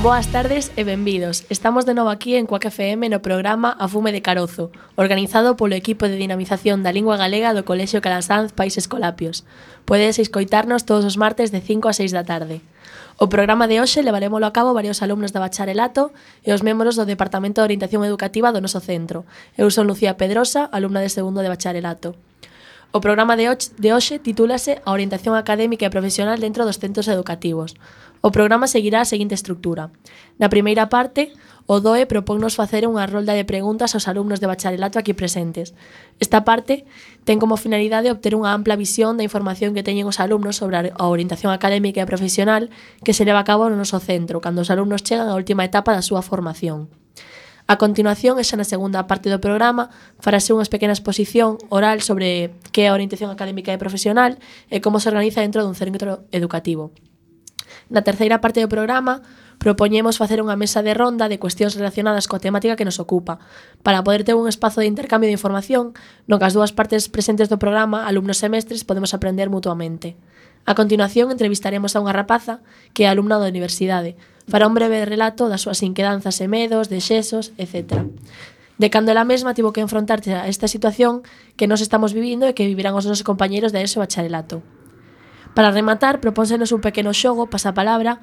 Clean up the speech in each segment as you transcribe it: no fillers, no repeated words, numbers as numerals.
Boas tardes e benvidos. Estamos de novo aquí en Cuac FM no programa A Fume de Carozo, organizado polo equipo de dinamización da lingua galega do Colexio Calasanz Pais Escolapios. Podedes escoitarnos todos os martes de 5 a 6 da tarde. O programa de hoxe levarémolo a cabo varios alumnos de bacharelato e os membros do Departamento de Orientación Educativa do noso centro. Eu son Lucía Pedrosa, alumna de segundo de bacharelato. O programa de hoxe titúlase A orientación académica e profesional dentro dos centros educativos. O programa seguirá a seguinte estrutura. Na primeira parte, o DOE propónnos facer unha rolda de preguntas aos alumnos de bacharelato aquí presentes. Esta parte ten como finalidade obter unha ampla visión da información que teñen os alumnos sobre a orientación académica e profesional que se leva a cabo no noso centro, cando os alumnos chegan á última etapa da súa formación. A continuación, e xa na segunda parte do programa, farase unha pequena exposición oral sobre que é a orientación académica e profesional e como se organiza dentro dun centro educativo. Na terceira parte do programa, propoñemos facer unha mesa de ronda de cuestións relacionadas coa temática que nos ocupa, para poder ter un espazo de intercambio de información no que as dúas partes presentes do programa, alumnos e mestres, podemos aprender mutuamente. A continuación, entrevistaremos a unha rapaza que é alumna da universidade. Fará un breve relato das súas inquedanzas e medos, dexesos, etc. De cando ela mesma tivo que enfrontarse a esta situación que nos estamos vivindo e que vivirán os nosos compañeiros de ESO e bacharelato. Para rematar, propónsenos un pequeno xogo, pasapalabra,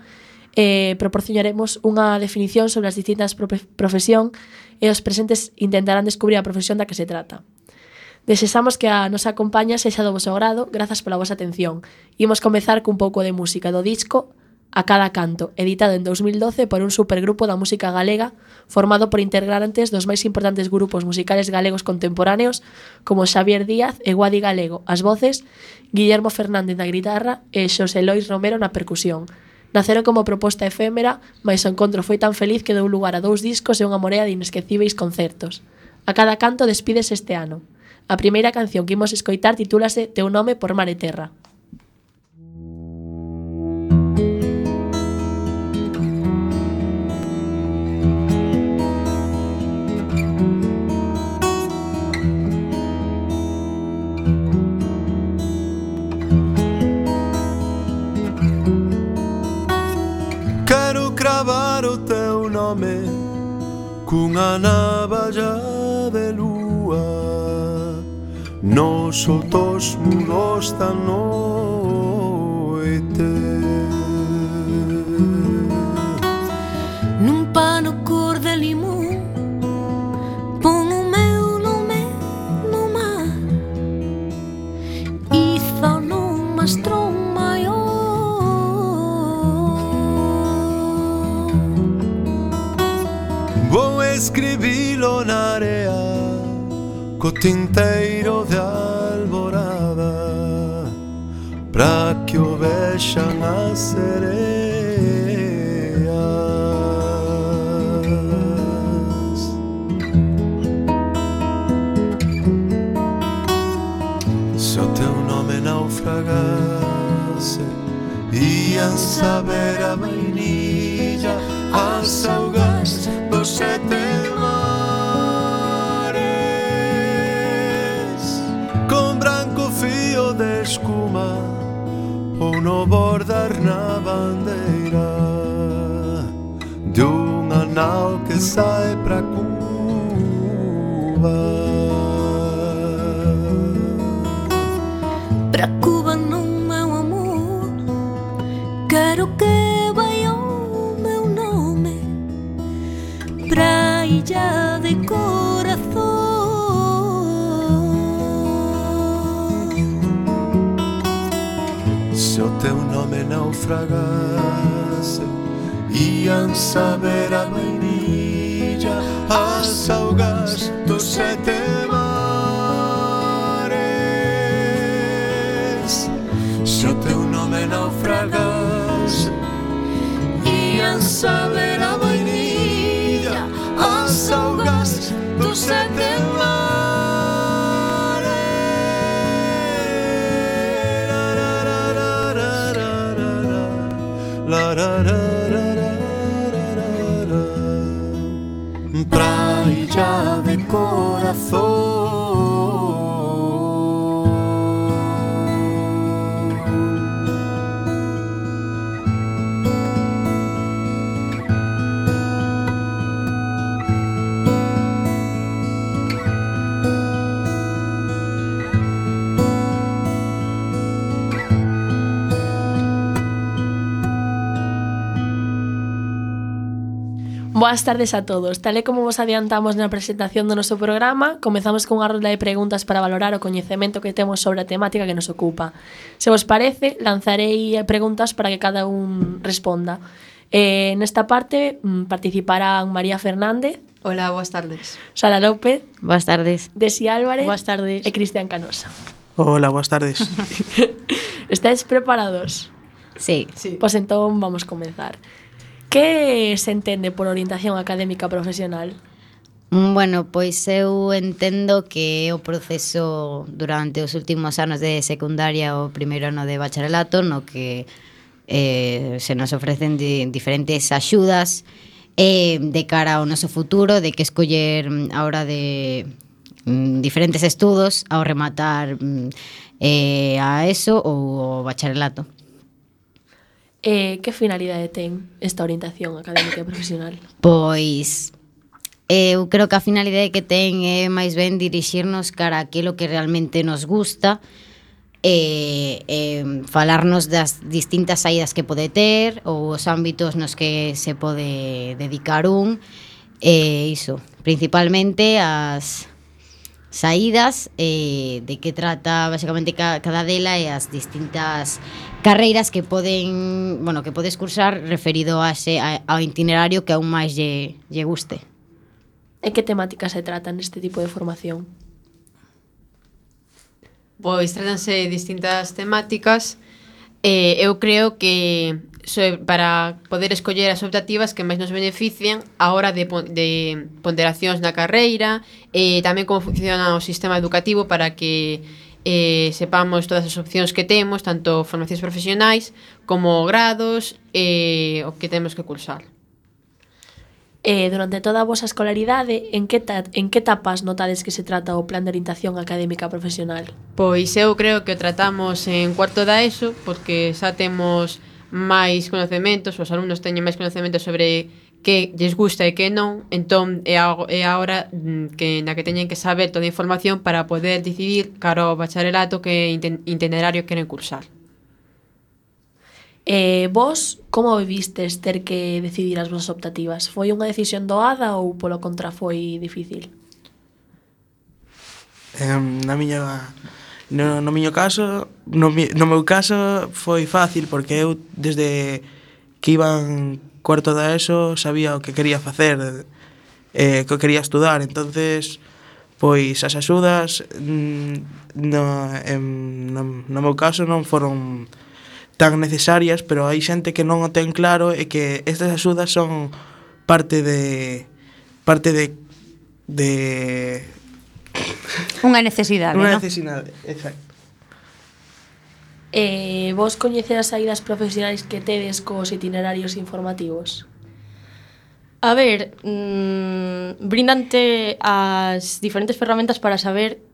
e proporcionaremos unha definición sobre as distintas profesión e os presentes intentarán descubrir a profesión da que se trata. Desexamos que a nosa compañía sexa do voso agrado, grazas pola vosa atención. Imos comezar cun pouco de música do disco A cada canto, editado en 2012 por un supergrupo da música galega formado por integrantes dos máis importantes grupos musicales galegos contemporáneos como Xavier Díaz e Guadi Galego, as voces, Guillermo Fernández na guitarra e Xosé Lois Romero na percusión. Naceron como proposta efémera, mais o encontro foi tan feliz que deu lugar a 2 discos e unha morea de inesquecíveis concertos. A cada canto despídese este ano. A primeira canción que imos escoitar titúlase Teu nome por mar e terra. Quero cravar o teu nome cunha navalla de lúa nos outros muros da noite. Nun pano cor de limón pon o meu nome no mar, hizo nun mastro maior. Vou escribilo na area co tinteiro de alborada pra que o vexan as sereas. Se o teu nome naufragase, ian saber a vainilla as augas dos 7 mares, con branco fío de escuma ou no bordar na bandeira de unha nau que sai pra Cuba. Pra Cuba non, meu amor, quero que vai o meu nome pra illa de corazón. Se o teu nome naufragase, ian saber a vainilla as augas dos 7 mares. Se o teu nome naufragase, ian saber a vainilla as augas dos 7 mares. Praia de corazón. Boas tardes a todos. Tal e como vos adiantamos na presentación do noso programa, comezamos con unha rolda de preguntas para valorar o coñecemento que temos sobre a temática que nos ocupa. Se vos parece, lanzarei preguntas para que cada un responda. Nesta parte participarán María Fernández. Hola, boas tardes. Sara López. Boas tardes. Desi Álvarez. Boas tardes. E Cristian Canosa. Hola, boas tardes. Estáis preparados? Sí. Pois entón vamos comenzar. Que se entende por orientación académica profesional? Bueno, pois eu entendo que o proceso durante os últimos anos de secundaria o primeiro ano de bacharelato no que se nos ofrecen diferentes axudas de cara ao noso futuro, de que escoller a hora de diferentes estudos ao rematar a ESO ou o bacharelato. Que finalidade ten esta orientación académica e profesional? Pois eu creo que a finalidade que ten é máis ben dirixirnos cara a aquilo que realmente nos gusta e falarnos das distintas saídas que pode ter ou os ámbitos nos que se pode dedicar iso, principalmente as saídas de que trata basicamente cada dela e as distintas carreiras que podes cursar referido ao itinerario que aún máis lle guste. E que temáticas se tratan neste tipo de formación? Pois tratanse distintas temáticas. Eu creo que para poder escoller as optativas que máis nos benefician a hora de ponderacións na carreira e tamén como funciona o sistema educativo para que sepamos todas as opcións que temos, tanto formacións profesionais como grados o que temos que cursar. Durante toda a vosa escolaridade, en que etapas notades que se trata o plan de orientación académica profesional? Pois eu creo que o tratamos en cuarto da ESO porque xa temos máis conocementos, os alumnos teñen máis conocementos sobre que lles gusta e que non, entón é a hora na que teñen que saber toda a información para poder decidir cara ao bacharelato que itinerario queren cursar. Vos, como vivistes ter que decidir as vosas optativas? Foi unha decisión doada ou polo contra foi difícil? No meu caso foi fácil porque eu desde que iba en cuarto da ESO sabía o que quería facer, que quería estudar, entonces pois as axudas no meu caso non foron tan necesarias, pero hai xente que non o ten claro e que estas axudas son parte de unha necesidade, unha ¿no? necesidade, exacto. Vos coñecer as saídas profesionais que tedes cos itinerarios informativos? A ver, brindante as diferentes ferramentas para saber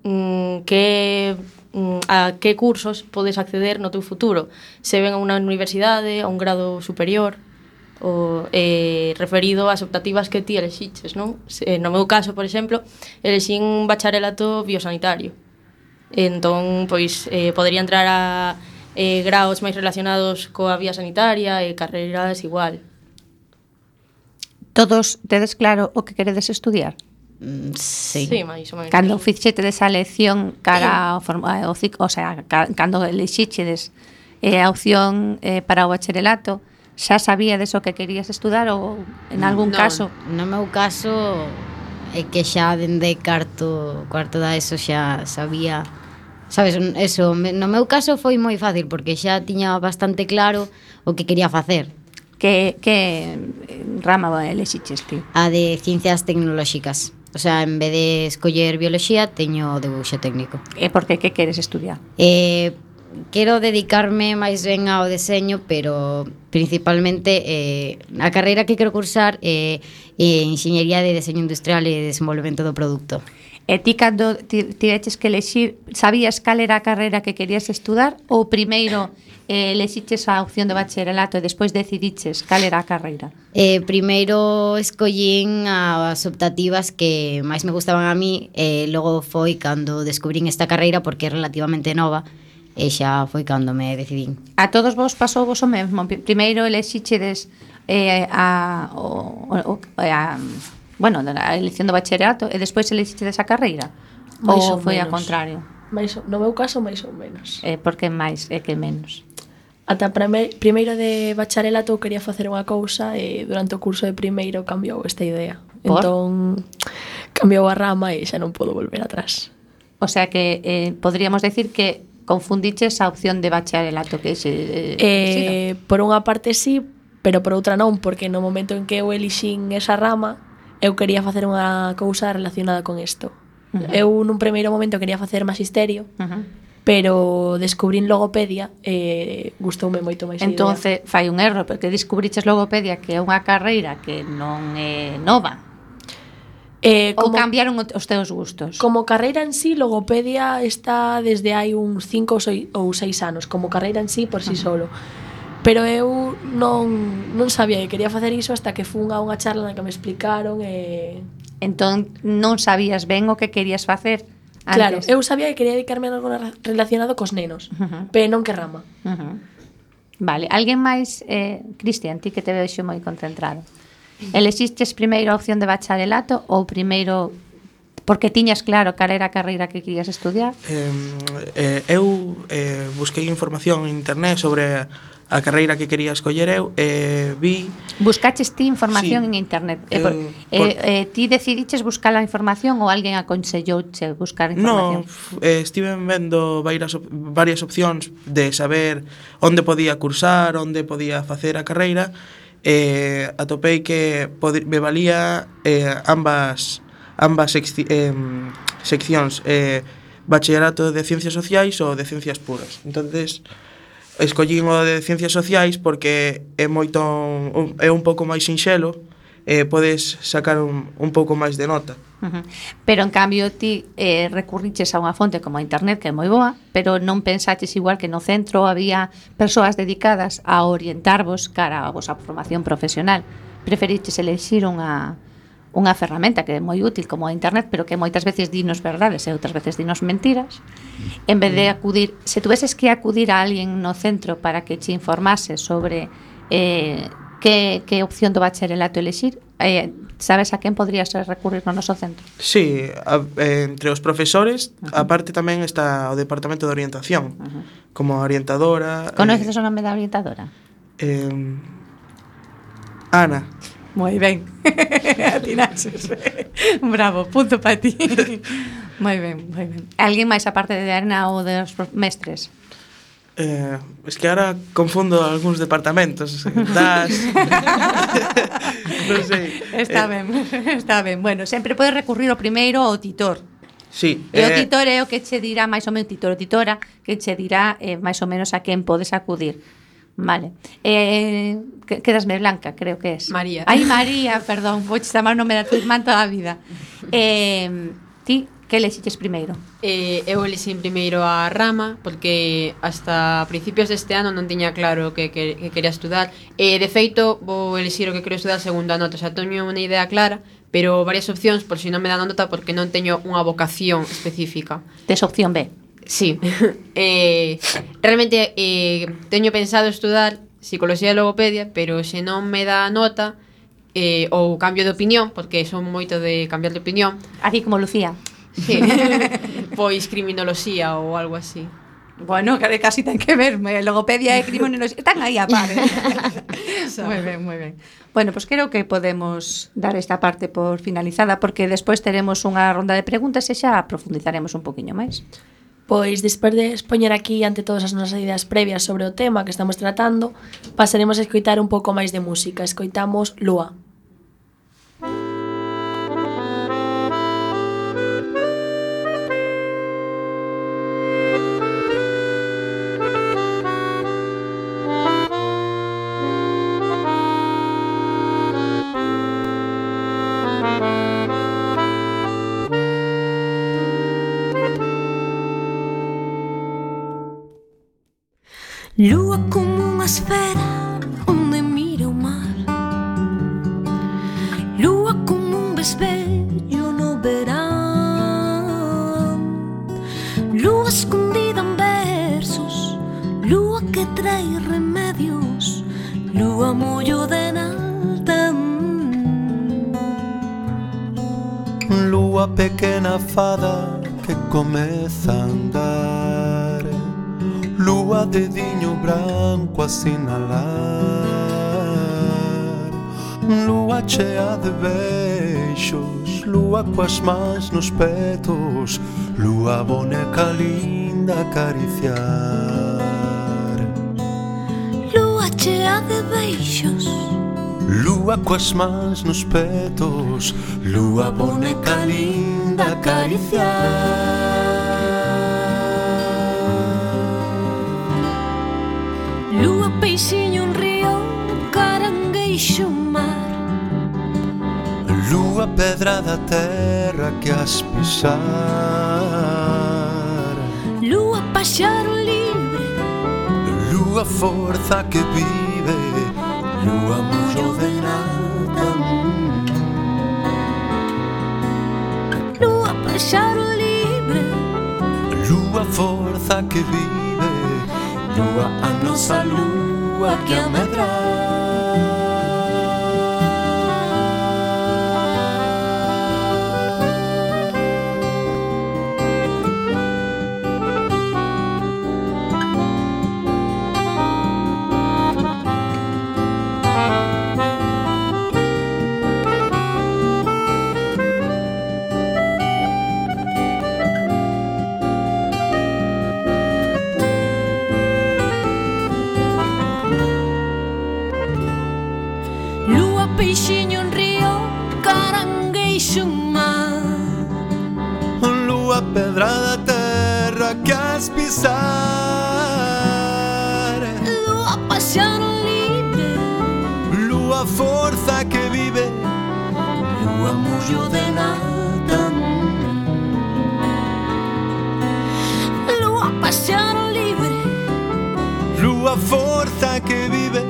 a que cursos podes acceder no teu futuro. Se ven a unha universidade, a un grado superior, referido ás optativas que ti elexiches, non? No meu caso, por exemplo, elexín un bacharelato biosanitario. Entón, pois, podería entrar a graos máis relacionados coa vía sanitaria e carreiras igual. Todos tedes claro o que queredes estudiar? Sí. Sí, máis ou menos. Cando fixetedes a elección cara ao ciclo, o sea, cando elixíchedes a opción para o bacharelato, xa sabíades o que querías estudar ou en algún caso? No meu caso é que xa dende cuarto da ESO xa sabía, sabes, eso, no meu caso foi moi fácil porque xa tiña bastante claro o que quería facer. Que rama elixiches ti? A de ciencias tecnolóxicas. O sea, en vez de escoller bioloxía, teño debuxo técnico. E por que queres estudiar? Quero dedicarme máis ben ao deseño, pero principalmente a carreira que quero cursar é Enxeñería de Deseño Industrial e Desenvolvemento do Produto. E ti cando tiveches que elexir, sabías cal era a carreira que querías estudar ou primeiro elexiches a opción de bacharelato e despois decidiches cal era a carreira? Primeiro escollín as optativas que máis me gustaban a mí e logo foi cando descubrín esta carreira porque é relativamente nova e xa foi cando me decidín. A todos vos pasou vos o mesmo? Primeiro elexichedes bueno, a elección do bacharelato e despois elixiste desa carreira? Mais Ou ou foi ao menos. contrario? No meu caso, máis ou menos. Por que máis e que menos? Ata primeiro de bacharelato eu quería facer unha cousa e durante o curso de primeiro cambiou esta idea. Por? Entón, cambiou a rama e xa non podo volver atrás. O sea que podríamos decir que confundiches a opción de bacharelato que se Por unha parte sí, pero por outra non, porque no momento en que eu elixín esa rama, eu quería facer unha cousa relacionada con isto. Eu nun primeiro momento quería facer magisterio, pero descubrín logopedia e gustoume moito máis a idea. Entonces fai un erro, porque descubriches logopedia que é unha carreira que non é nova. Ou cambiaron os teus gustos? Como carreira en sí, logopedia está desde hai uns 5 ou 6 anos, como carreira en sí por sí solo. Pero eu non sabía que quería facer iso hasta que fun a unha charla na que me explicaron e... Entón non sabías ben o que querías facer antes. Claro, eu sabía que quería dedicarme a algo relacionado cos nenos, pero non que rama. Vale, alguén máis, Cristian, ti que te vexo moi concentrado. Elexistes primeiro a opción de bacharelato ou primeiro porque tiñas claro cal era a carreira que querías estudiar? Eu busquei información en internet sobre a carreira que quería escoller eu e vi... Buscaches ti información Sí. en internet? Ti decidiches buscar a información ou alguén aconsellouche buscar información? No, estive vendo varias opcións de saber onde podía cursar, onde podía facer a carreira e atopei que me valía ambas seccións, bacharelato de ciencias sociais ou de ciencias puras. Entonces escollín o de ciencias sociais porque é un pouco máis sinxelo e podes sacar un pouco máis de nota. Pero en cambio ti recurriches a unha fonte como a internet que é moi boa, pero non pensaches igual que no centro había persoas dedicadas a orientarvos cara a vosa formación profesional. Preferiches elexir unha ferramenta que é moi útil como a internet, pero que moitas veces dinos verdades e outras veces dinos mentiras, en vez de acudir, se tuveses que acudir a alguén no centro para que te informase sobre que opción do bacharelato elexir, sabes a quen podrías recurrir no noso centro? Sí, entre os profesores, aparte tamén está o departamento de orientación, como orientadora. Conoces o nome da orientadora? Ana. Moi ben, atinaches. Bravo, punto para ti. Moi ben, moi ben. Alguén máis aparte de Ana ou dos mestres? Es que ahora confundo algúns departamentos. Non sei. Está ben. Bueno, sempre podes recurrir ao primeiro ao titor. Sí. E o titor é o que che dirá máis ou menos, titor ou titora, que che dirá máis ou menos a quen podes acudir. Vale. Quedasme blanca, creo que es. María. Ai, María, perdón, vou chamar o nome da tua irmán toda a vida. Ti, que lexiches primeiro? Eu elixín primeiro a rama porque hasta principios deste ano non tiña claro que quería estudar e de feito vou elixir o que quero estudar segundo a nota, xa teño unha idea clara, pero varias opcións por si non me dan nota porque non teño unha vocación específica. Tes opción B? Sí. Realmente teño pensado estudar psicología e logopedia, pero se non me dá nota ou cambio de opinión, porque son moito de cambiar de opinión. Así como Lucía. Sí. Pois criminoloxía ou algo así. Bueno, casi ten que ver, logopedia e criminoloxía están aí a par. Moi ben. Bueno, pues creo que podemos dar esta parte por finalizada porque despois teremos unha ronda de preguntas e xa profundizaremos un poquinho máis. Pois despois de expoñer aquí ante todas as nosas ideas previas sobre o tema que estamos tratando, pasaremos a escoitar un pouco máis de música. Escoitamos Lúa. Lúa como unha esfera onde mira o mar, lúa como un vesvello no verán, lúa escondida en versos, lúa que trae remedios, lúa mullo de nalta. Lúa pequena fada que comeza a andar, lúa dediño branco a sinalar, lúa chea de beixos, lúa coas mans nos petos, lúa boneca linda a acariciar. Lúa chea de beixos, lúa coas mans nos petos, lúa boneca linda a acariciar. lúa peixiño un río, carangueixo un mar, Lúa pedra da terra que as pisar, lúa paxaro libre, lúa forza que vive, lúa mullo de nada. lúa paxaro libre, Lúa forza que vive, lúa a nosa lúa que a medra. lúa peixiño un río, carangueixo un mar, Lúa pedra da terra que as pisar, lúa paxaro libre, lúa forza que vive, lúa mullo de nada. lúa paxaro libre, Lúa forza que vive,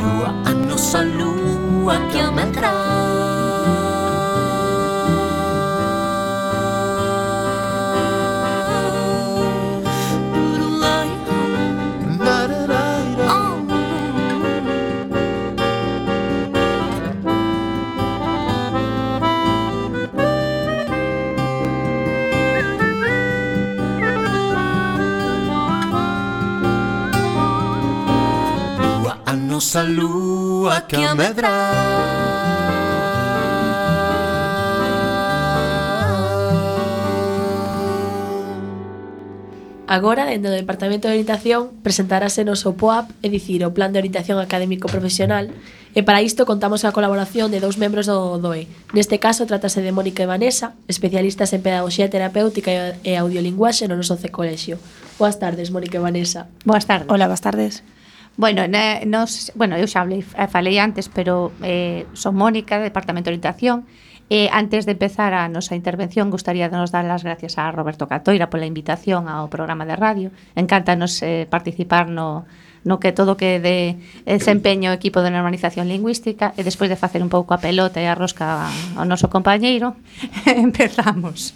lúa a nosa lúa que a medra. Lúa a nosa lúa que a medra. Agora, dentro do Departamento de Orientación, presentarase noso POAP, é dicir, o Plan de Orientación Académico Profesional, e para isto contamos a colaboración de dous membros do DOE. Neste caso, trátase de Mónica e Vanessa, especialistas en Pedagogía Terapéutica e Audiolinguaxe no noso colexio. Boas tardes, Mónica e Vanessa. Boas tardes. Hola, boas tardes. Bueno, eu xa falei antes, pero son Mónica, do Departamento de Orientación. Antes de empezar a nosa intervención, gustaría nos dar as gracias a Roberto Catoira pola invitación ao programa de radio. Encántanos participar no que todo que de desempeño o equipo de normalización lingüística, e despois de facer un pouco a pelota e a rosca ao noso compañeiro, empezamos.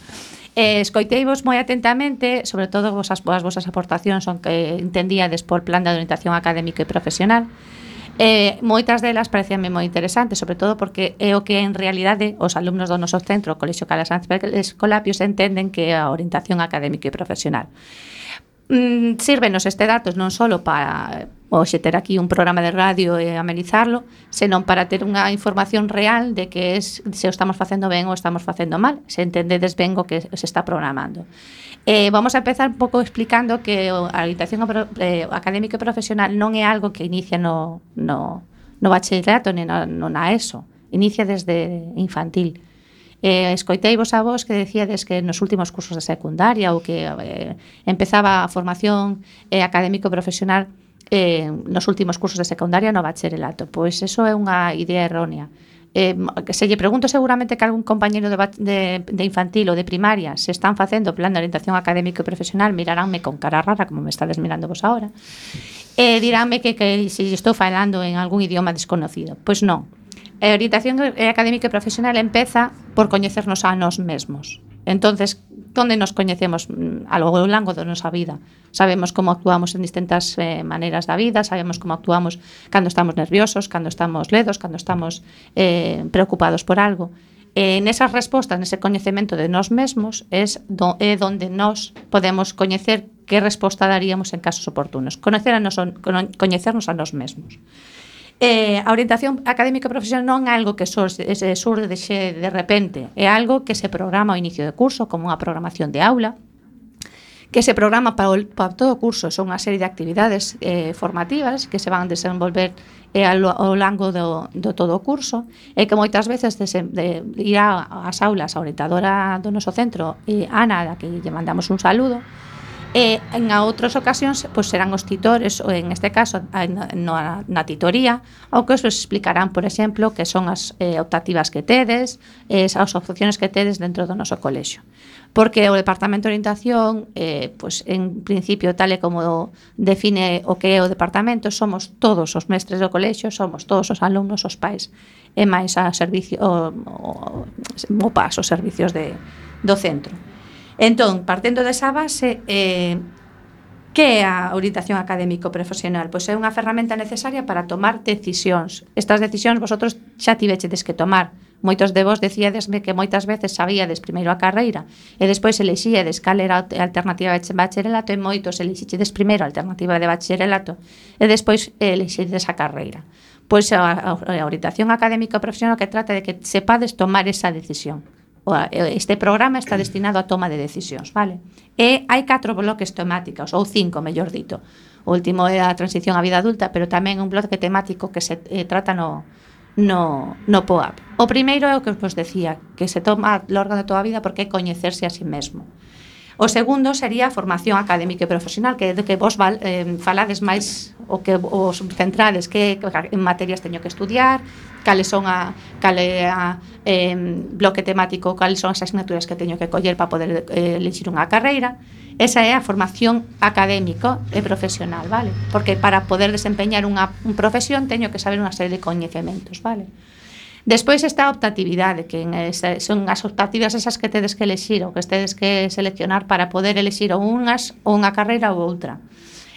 Escoiteivos moi atentamente, sobre todo as vosas aportacións son que entendíades por Plan de Orientación Académica e Profesional. Moitas delas parecíanme moi interesantes, sobre todo porque é o que en realidade os alumnos do noso centro, o Colexio Calasanz Escolapios, entenden que é a orientación académica e profesional. Sírvenos este datos non só para hoxe ter aquí un programa de radio e amenizarlo, senón para ter unha información real de que se o estamos facendo ben ou estamos facendo mal, se entendedes ben o que se está programando. Vamos a empezar un pouco explicando que a orientación académica e profesional non é algo que inicia no bachillerato nem na ESO, inicia desde infantil. Escoiteivos a vos que decíades que nos últimos cursos de secundaria ou que empezaba a formación académico profesional nos últimos cursos de secundaria no bacharelato. Pois eso é unha idea errónea. Se lle pregunto seguramente que algún compañeiro de infantil ou de primaria se están facendo Plan de Orientación Académico e Profesional, miraránme con cara rara, como me estades mirando vos ahora, e diránme que se estou falando en algún idioma desconocido. Pois non. A orientación académica e profesional empeza por coñecernos a nós mesmos. Entonces, donde nos coñecemos ao longo da nosa vida. Sabemos como actuamos en distintas maneiras da vida, sabemos como actuamos cando estamos nerviosos, cando estamos ledos, cando estamos preocupados por algo. Nesas respostas, nese coñecemento de nós mesmos, é donde nós podemos coñecer que resposta daríamos en casos oportunos. Coñecernos a nós mesmos. A orientación académica profesional non é algo que surde de repente, é algo que se programa ao inicio de curso, como unha programación de aula, que se programa para todo o curso. Son unha serie de actividades formativas que se van a desenvolver ao longo do todo o curso, e que moitas veces irá ás aulas a orientadora do noso centro, Ana, a que lle mandamos un saludo, e en outras ocasións pois serán os titores, ou en este caso na titoría, ou que os explicarán, por exemplo, que son as optativas que tedes, as opciones que tedes dentro do noso colexio. Porque o Departamento de Orientación, pois en principio, tal e como define o que é o departamento, somos todos os mestres do colexio, somos todos os alumnos, os pais, e máis a servicio, o PAS, os servicios do centro. Entón, partendo desa base, que é a orientación académico profesional? Pois é unha ferramenta necesaria para tomar decisións. Estas decisións vosotros xa tivechedes que tomar. Moitos de vos decíadesme que moitas veces sabíades primeiro a carreira e despois elexíades cal era a alternativa de bacharelato, e moitos elexíades primeiro a alternativa de bacharelato e despois elexíades a carreira. Pois a orientación académico profesional que trata de que sepades tomar esa decisión. Este programa está destinado a toma de decisións, vale? E hai 4 bloques temáticos, ou 5, mellor dito. O último é a transición á vida adulta, pero tamén un bloque temático que se trata no POAP. O primeiro é o que vos decía, que se toma ao longo de toda a vida porque é coñecerse a sí mesmo. O segundo sería a formación académica e profesional, que é de que vos falades máis o que os centrades, que en materias teño que estudiar, cales son bloque temático, cales son as asignaturas que teño que coller para poder elixir unha carreira. Esa é a formación académico e profesional, vale? Porque para poder desempeñar unha profesión teño que saber unha serie de coñecementos, vale? Despois está a optatividade, que son as optativas esas que tedes que elexir ou que tedes que seleccionar para poder elexir ou unha carreira ou outra.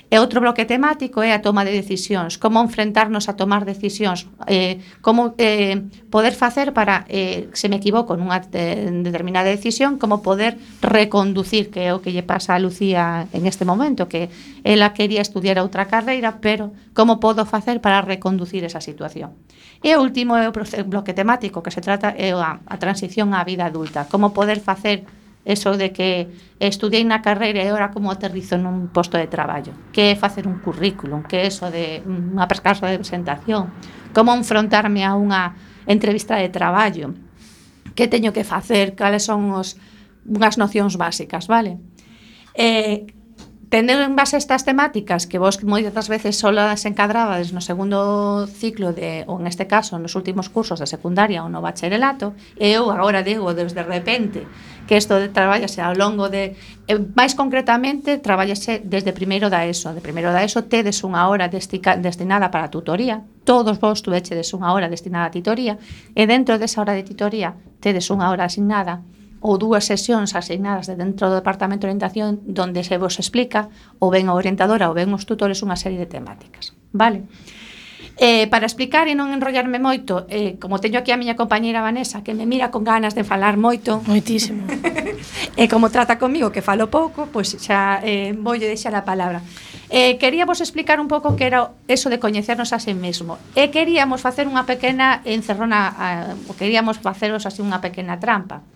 E outro bloque temático é a toma de decisións, como enfrentarnos a tomar decisións, como poder facer para, se me equivoco nunha determinada decisión, como poder reconducir, que é o que lle pasa a Lucía en este momento, que ela quería estudiar outra carreira, pero como podo facer para reconducir esa situación. E o último é o bloque temático, que se trata é a transición á vida adulta, como poder facer eso de que estudiei na carreira e agora como aterrizo nun posto de traballo, que é facer un currículum, que é eso de unha carta de presentación, como enfrontarme a unha entrevista de traballo, que teño que facer, cales son unhas nocións básicas, vale? Tendo en base estas temáticas que vos moitas veces só as encadrabades no segundo ciclo ou en este caso nos últimos cursos de secundaria ou no bacharelato, e eu agora digo desde repente que isto traballase ao longo de máis concretamente traballase desde primeiro da ESO. De primeiro da ESO tedes unha hora destinada para a tutoría, todos vos tuvechedes unha hora destinada a tutoría, e dentro desa hora de tutoría tedes unha hora asignada ou 2 sesións asignadas de dentro do Departamento de Orientación donde se vos explica ou ben a orientadora ou ben os tutores unha serie de temáticas, vale? Para explicar e non enrollarme moito, como teño aquí a miña compañeira Vanessa que me mira con ganas de falar moito, moitísimo, e como trata comigo que falo pouco, pois xa voulle deixar a palabra. Queríamos explicar un pouco que era eso de coñecernos a sí mesmo, e queríamos facer unha pequena encerrona, queríamos faceros así unha pequena trampa.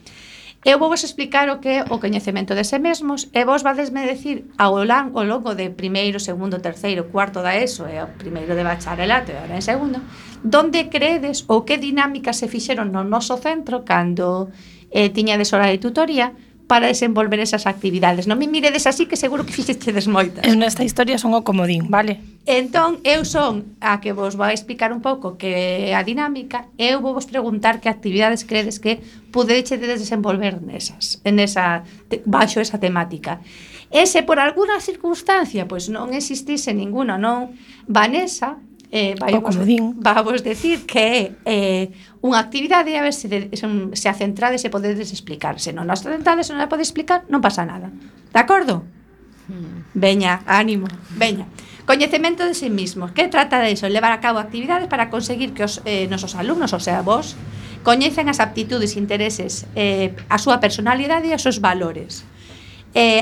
Eu vou vos explicar o que é o coñecemento de si mesmos e vos vadesme decir ao longo de primeiro, segundo, terceiro, cuarto da ESO e o primeiro de bacharelato e agora en segundo, donde credes ou que dinámicas se fixeron no noso centro cando tiñades hora de tutoría para desenvolver esas actividades. Non me miredes así que seguro que fixechedes moitas. Eu nesta historia son o comodín, vale? Entón, eu son a que vos vai explicar un pouco que a dinámica, eu vou vos preguntar que actividades credes que podechedes desenvolver baixo esa temática. E se por alguna circunstancia pois non existise ninguna, non, Vanessa Vamos decir que é unha actividade a ver se a centrades e podedes explicar. Se non as centrades e non a podes explicar, non pasa nada. De acordo? Veña, ánimo, veña. Coñecemento de sí mismos. Que trata de iso? Levar a cabo actividades para conseguir que os nosos alumnos, o sea, vos, coñecen as aptitudes e intereses, a súa personalidade e os seus valores.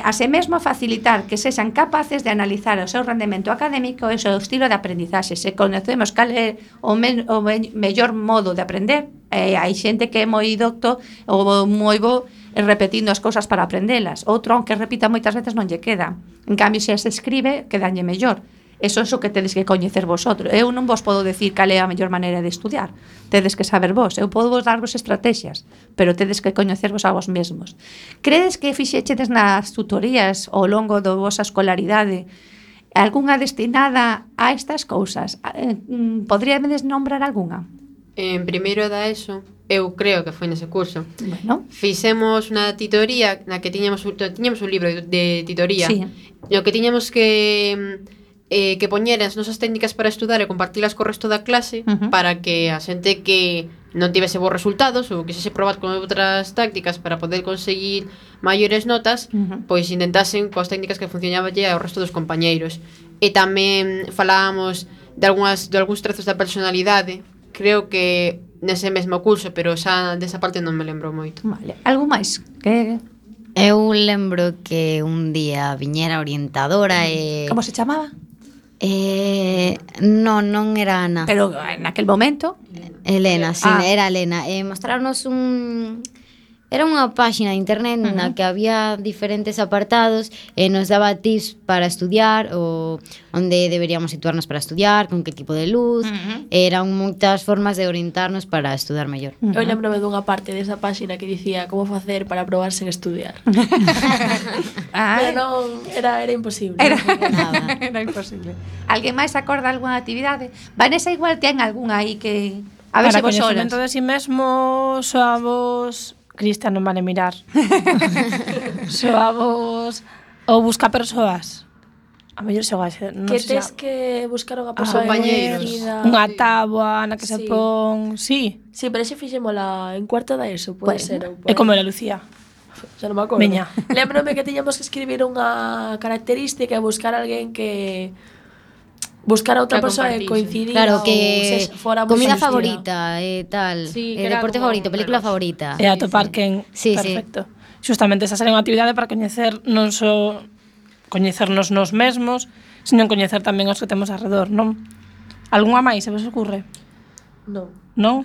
Así mesmo facilitar que sexan capaces de analizar o seu rendemento académico e o seu estilo de aprendizaxe. Se conocemos cal é o mellor modo de aprender, hai xente que é moi docto ou moi bo repetindo as cousas para aprendelas. Outro, aunque repita moitas veces, non lle queda. En cambio, se as escribe, quedalle mellor. Eso é o que tedes que coñecer vosotros. Eu non vos podo decir cal é a mellor maneira de estudiar. Tedes que saber vos. Eu podo vos darvos estrategias, pero tedes que coñecervos a vos mesmos. Credes que fixechedes nas tutorías ao longo da vosa escolaridade algunha destinada a estas cousas? Podríades nombrar algunha? En primeiro da ESO, eu creo que foi nese curso. Bueno. Fixemos unha titoría na que tiñamos un libro de titoría. Sí. No que tiñamos que poñer as nosas técnicas para estudar e compartilas co resto da clase para que a xente que non tivese bons resultados ou quixese probar con outras tácticas para poder conseguir maiores notas, pois intentasen coas técnicas que funcionabanlle ao resto dos compañeiros. E tamén falábamos de algúns trazos da personalidade. Creo que nese mesmo curso, pero xa desa parte non me lembro moito. Vale. Algo máis? Que eu lembro que un día viñera orientadora e... Como se chamaba? Non era Ana. Pero en aquel momento Elena, sí, era Elena. Mostrarnos era unha páxina de internet na que había diferentes apartados e nos daba tips para estudiar ou onde deberíamos situarnos para estudiar, con que tipo de luz. Eran moitas formas de orientarnos para estudar mellor. Eu lembrome dunha parte desa páxina que dicía como facer para probar sen estudiar. Pero non, era imposible. Era imposible. Alguén máis acorda algunha actividade? Vanessa igual ten algunha aí que... A ver para se vos horas. coñecemento de si mesmo soavos... Cristian non vale mirar. Soavos... Ou busca persoas. A mellor xogase, non que sei tes xa. que buscar unha persoa compañeiros. Unha táboa na que se pon... Sí. Sí, pero ese fixémola en cuarto da ESO, pode ser. É como era Lucía. Xa non me acordo. Veña. Lembrome que tiñamos que escribir unha característica e buscar alguén que... Buscar a outra persoa e coincidir. Claro, que comida favorita e tal, deporte favorito, película favorita. E atopar quen. Perfecto. Justamente esa sería unha actividade para coñecer non só coñecernos nos mesmos, sino coñecer tamén os que temos alrededor, non? Algunha máis se vos ocurre? Non. Non?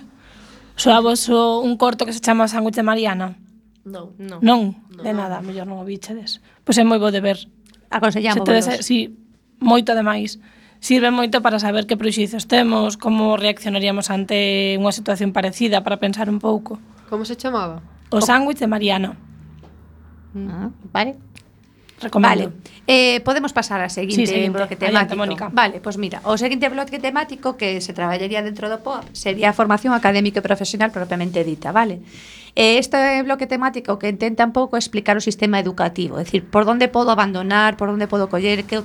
Soavos un corto que se chama Sándwich de Mariana? Non. Non? De nada, mellor non o bichedes. Pois é moi bo de ver. Aconsellamos. Sí, moito ademais. Sirve moito para saber que prexuizos temos, como reaccionaríamos ante unha situación parecida, para pensar un pouco. Como se chamaba? O sándwich de Mariana. Vale. Recomendo. Vale. Podemos pasar ao seguinte bloque temático. Mónica. Vale, pois mira, o seguinte bloque temático que se traballaría dentro do POA sería a formación académica e profesional propiamente dita, vale? Este bloque temático que intenta un pouco explicar o sistema educativo, é dicir, por onde podo abandonar, por onde podo coller, que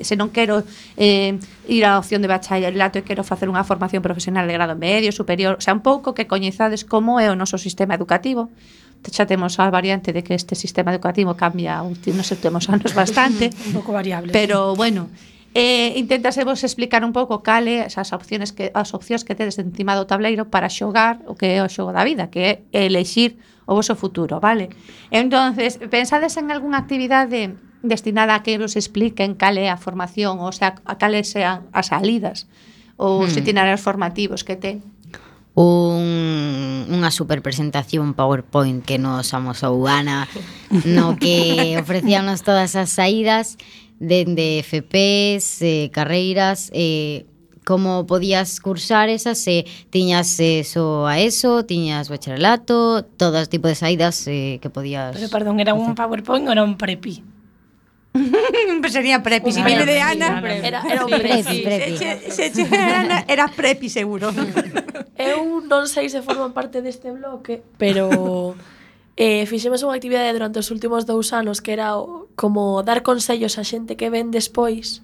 se non quero ir á opción de bacharelato e quero facer unha formación profesional de grado medio, superior, o sea, un pouco que coñezades como é o noso sistema educativo. Xa temos a variante de que este sistema educativo cambia nos últimos anos bastante. Un pouco variable. Pero, bueno, intentase vos explicar un pouco cales as opcións que tedes encima do tableiro para xogar o que é o xogo da vida, que é elexir o voso futuro, vale? Entonces, pensades en algunha actividade destinada a que vos expliquen cal é a formación, o sea, a cales sean as salidas ou os itinerarios formativos que ten? Unha super presentación PowerPoint que nos amosou Ana, no que ofrecíanos todas as saídas dende FPs, carreiras, como podías cursar esas, tiñas só a ESO, tiñas bacharelato, todo tipo de saídas que podías... Pero, perdón, era un PowerPoint ou era un prepi? Pues sería prepi, si viene de Ana era un prepi. Era prepi seguro. Eu non sei se forman parte deste bloque, pero fixemos unha actividade durante os últimos 2 anos que era como dar consellos a xente que ven despois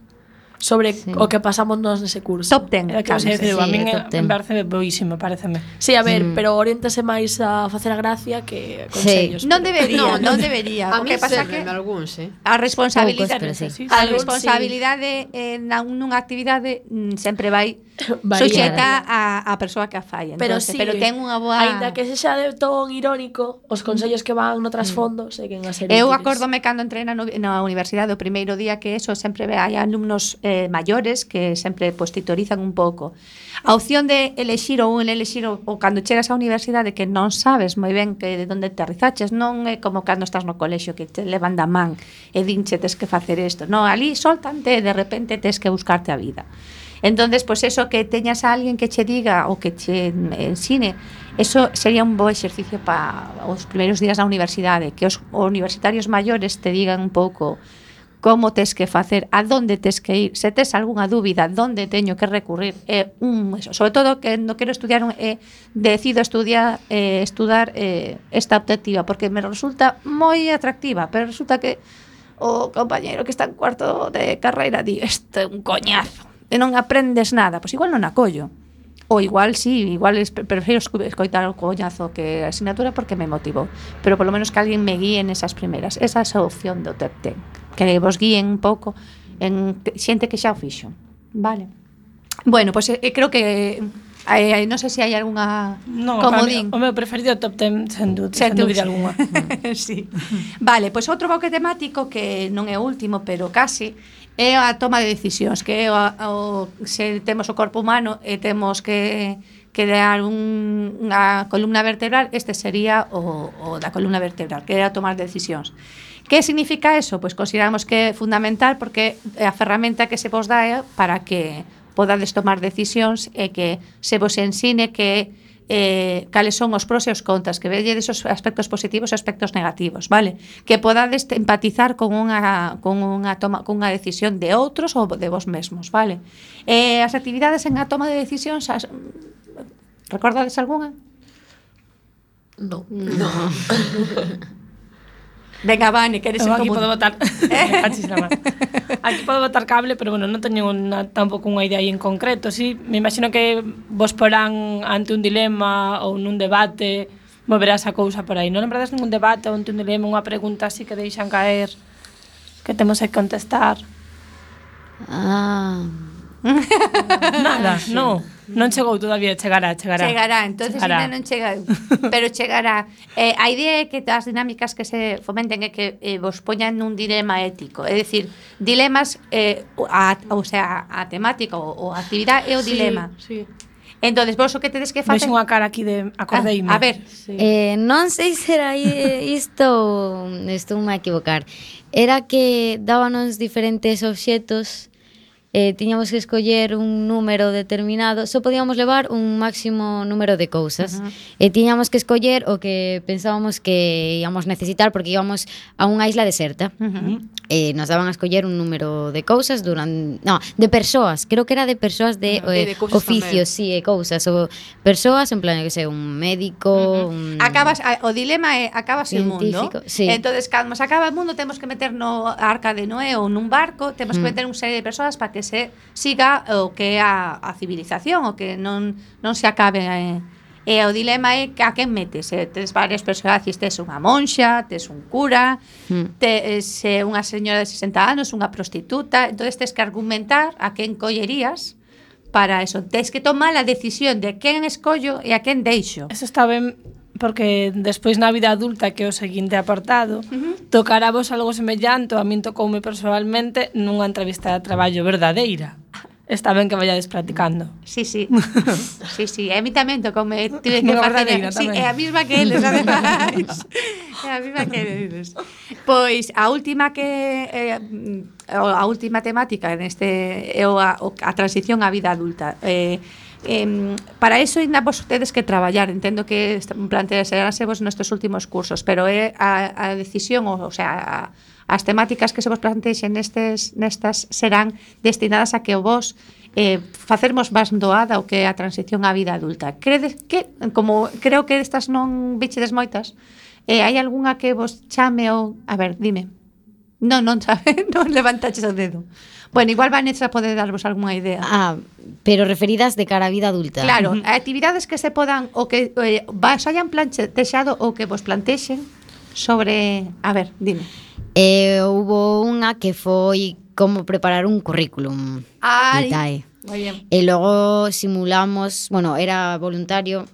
sobre o que pasamos nós nese curso. Top 10. Era que a min top ten. me parece boísimo, pareceme. Sí, a ver, pero oriéntase máis a facer a gracia que consellos. Non pero- debería, non debería. A O mí que pasa sérveme que algúns, a responsabilidade, Poucos, pero sí. a Algúns responsabilidade nunha actividade sempre vai Varía. suxeta a persoa que a fai. Pero Entonces, sí, pero ten unha boa... Aínda que sexa de ton irónico, os consellos que van no trasfondo seguen a ser Eu útiles. acórdome cando entrei na universidade o primeiro día que eso sempre hai alumnos maiores que sempre pues, titorizan un pouco. A opción de elexir ou cando chegas á universidade que non sabes moi ben que de onde aterrizaches, non é como cando estás no colexio que te levan da man e dinche tes que facer isto. Non, ali soltante e de repente tes que buscarte a vida. Entonces, pues eso que teñas a alguén que che diga ou que che ensine, eso sería un bo exercicio para os primeiros días da universidade, que os universitarios maiores te digan un pouco como tes que facer, a donde tes que ir, se tes algunha dúbida, donde teño que recurrir, sobre todo que non quero estudiar, decido estudar esta optativa, porque me resulta moi atractiva, pero resulta que o compañeiro que está en cuarto de carreira di, este é un coñazo, e non aprendes nada, pois igual non acollo. Ou igual sí, igual prefiro escoitar o coñazo que a asignatura porque me motivou. Pero polo menos que alguén me guíe nesas primeras. Esa é a opción do top 10. Que vos guíen un pouco en xente que xa o fixo. Vale. Bueno, pois creo que non sei se hai algunha comodín. O meu preferido top 10 sen dúbida algunha. Sí. Vale, pois outro bloque temático que non é o último, pero casi é a toma de decisións, que é se temos o corpo humano e temos que dar unha columna vertebral, este sería o da columna vertebral, que é a tomar decisións. Que significa eso? Pois consideramos que é fundamental porque é a ferramenta que se vos dá para que podades tomar decisións e que se vos ensine que cales son os pros e os contras, que velledes os aspectos positivos e aspectos negativos, vale? Que podades empatizar con unha decisión de outros ou de vos mesmos, vale? As actividades en a toma de decisións, recordades algunha? No. Venga, Vane, que eres aquí podo botar aquí podo botar cable, pero bueno, non teño tampouco unha idea aí en concreto. Sí, me imagino que vos porán ante un dilema ou nun debate, moverás a cousa por aí. Non lembrades ningún debate ou ante un dilema, unha pregunta así que deixan caer que temos que contestar? Nada, non chegou todavía, chegará. Chegará, entonces ainda non chega, pero chegará. A idea é que as dinámicas que se fomenten é que vos poñan nun dilema ético, é dicir, dilemas, a temática ou a actividade é o dilema. Sí. Entonces, vos o que tedes que facer... Vexo unha cara aquí de acordeime. A ver. Sí. Non sei se era isto ou estou a equivocar. Era que dábanos diferentes obxetos, tiñamos que escoller un número determinado, só podíamos levar un máximo número de cousas. E tiñamos que escoller o que pensábamos que íamos necesitar porque íbamos a unha isla deserta. Nos daban a escoller un número de cousas de persoas, creo que era de persoas de oficios, sí, cousas, ou persoas en plan, que sei, un médico, o dilema é acabase o mundo. Sí. Entonces, cando se acaba o mundo, temos que meter no Arca de Noé ou nun barco, temos que meter unha serie de persoas para que se siga o que é a civilización, o que non se acabe. E o dilema é a quen metes. Tes varios personaxes, tes unha monxa, tes un cura, tes unha señora de 60 anos, unha prostituta, entonces tes que argumentar a quen collerías para eso. Tes que tomar a decisión de quen escollo e a quen deixo. Eso está ben, porque despois na vida adulta, que é o seguinte apartado, tocará vos algo semellante, a min tocoume personalmente nunha entrevista de traballo verdadeira. Está ben que vayades practicando. Sí. Sí, a mí tamén tocoume, tive que facer. Sí, é a mesma que eles, ademais. É a mesma que eles. Pois a última temática neste é a transición á vida adulta. Para iso ainda vos tedes que traballar. Entendo que plantearase vos nestes últimos cursos, pero é a decisión, o sea, as temáticas que se vos plantexen nestas serán destinadas a que vos facermos máis doada o que é a transición á vida adulta. Credes que, como creo que estas non bichedes moitas, hai algunha que vos chame ou... A ver, dime. Non sabe, non levantaches o dedo. Bueno, igual Vanessa pode darvos algunha idea. Pero referidas de cara á vida adulta. Claro, actividades que se podan o que vos hayan plantexado ou que vos plantexen sobre, a ver, dime. Hubo unha que foi como preparar un currículum vitae. Moi bien. E logo simulamos, bueno, era voluntario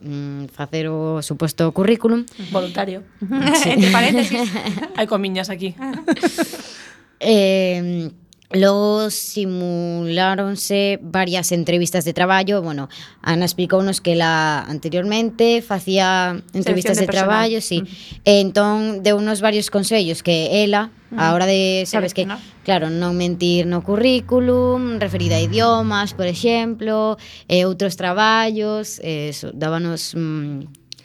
facer o suposto currículum. Voluntario. Entre paréntesis. Hai comiñas aquí. Logo simuláronse varias entrevistas de traballo. Bueno, Ana explicounos que ela anteriormente facía entrevistas de traballo, sí. E entón deu unos varios consellos que ela, a hora de, sabes que, claro, non mentir no currículum, referida a idiomas, por exemplo, outros traballos, dábanos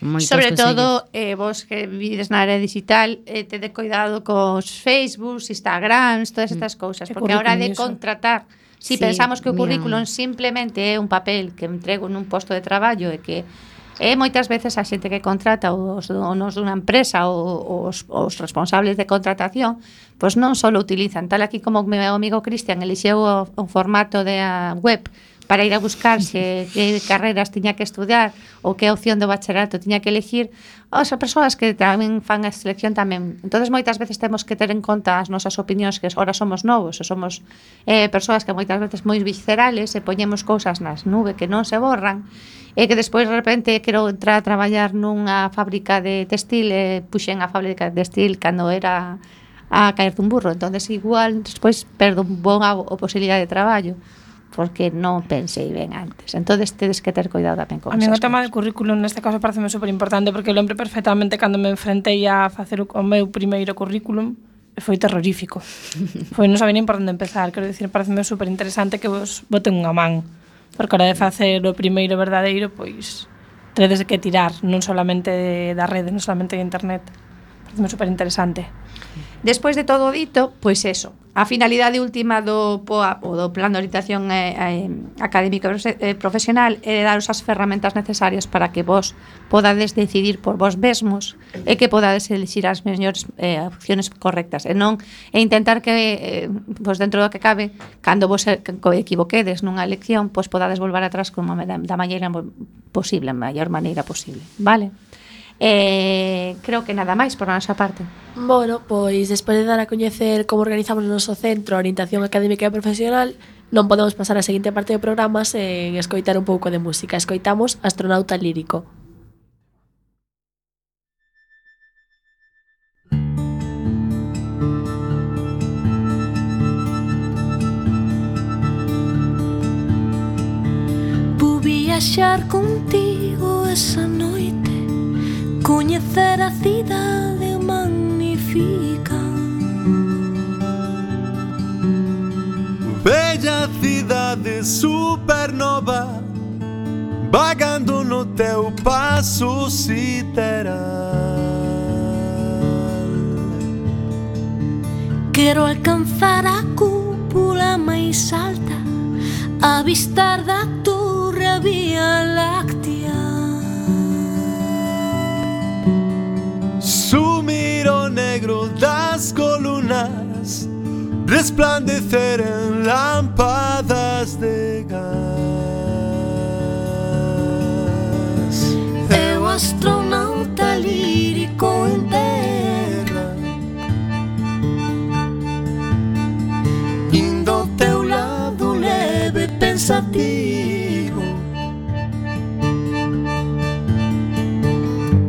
moitos sobre consellos. todo, vos que vivides na área digital, tede cuidado cos Facebook, Instagrams, todas estas cousas, porque a hora de contratar, si pensamos que o currículum simplemente é un papel que entrego nun posto de traballo e que moitas veces a xente que contrata os donos dunha empresa ou os responsables de contratación, pois non só utilizan, tal aquí como o meu amigo Cristian elixeu o formato de web para ir a buscarse que carreras tiña que estudiar ou que opción do bacharelato tiña que elegir, as persoas que tamén fan a selección tamén. Entonces moitas veces temos que ter en conta as nosas opinións, que ahora somos novos, e somos persoas que moitas veces moi viscerales e poñemos cousas nas nube que non se borran, e que despois de repente quero entrar a traballar nunha fábrica de textil e puxen a fábrica de textil cando era a caer dun burro, entonces igual despois perdo un boa posibilidade de traballo porque non pensei ben antes. Entonces tedes que ter cuidado tamén con A mí o esas tema cosas. do currículum neste caso pareceme super importante porque lembro perfectamente cando me enfrentei a facer o meu primeiro currículum e foi terrorífico. Foi non sabía nin por onde empezar, quero dicir, pareceme super interesante que vos boten unha man, porque a hora de facer o primeiro verdadeiro, pois tedes que tirar, non solamente da rede, non solamente de internet. Pareceme super interesante. Despois de todo dito, pois eso, a finalidade última do POA ou do Plan de Orientación Académica Profesional é daros as ferramentas necesarias para que vos podades decidir por vos mesmos e que podades elixir as mellores opciones correctas e non intentar que vos dentro do que cabe, cando vos equivoquedes nunha elección, pois podades volver atrás da maneira posible, a maior maneira posible, vale? Creo que nada máis por a nosa parte. Bueno, pois despois de dar a coñecer como organizamos o noso centro Orientación Académica e Profesional, non podemos pasar a seguinte parte do programa sen escoitar un pouco de música. Escoitamos Astronauta Lírico. Vou viaxar contigo esa noite, coñecer a cidade magnífica. Bella cidade supernova, vagando no teu paso sideral. Quero alcanzar a cúpula máis alta, avistar da torre a Vía Láctea. Sumir o negro das colunas, resplandecer en lámpadas de gas. Eu astronauta lírico en terra, indo ao teu lado leve pensativo.